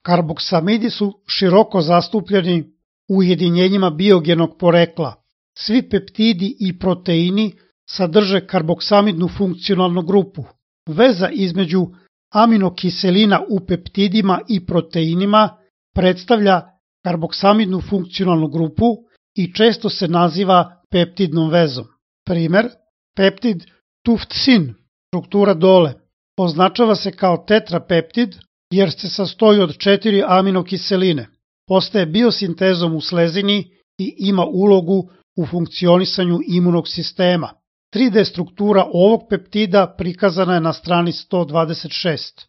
Karboksamidi su široko zastupljeni u ujedinjenjima biogenog porekla. Svi peptidi i proteini sadrže karboksamidnu funkcionalnu grupu. Veza između aminokiselina u peptidima i proteinima predstavlja karboksamidnu funkcionalnu grupu i često se naziva peptidnom vezom. Primer, peptid tuftsin, struktura dole, označava se kao tetrapeptid jer se sastoji od 4 aminokiseline. Postaje biosintezom u slezini i ima ulogu u funkcionisanju imunog sistema. 3D struktura ovog peptida prikazana je na strani 126.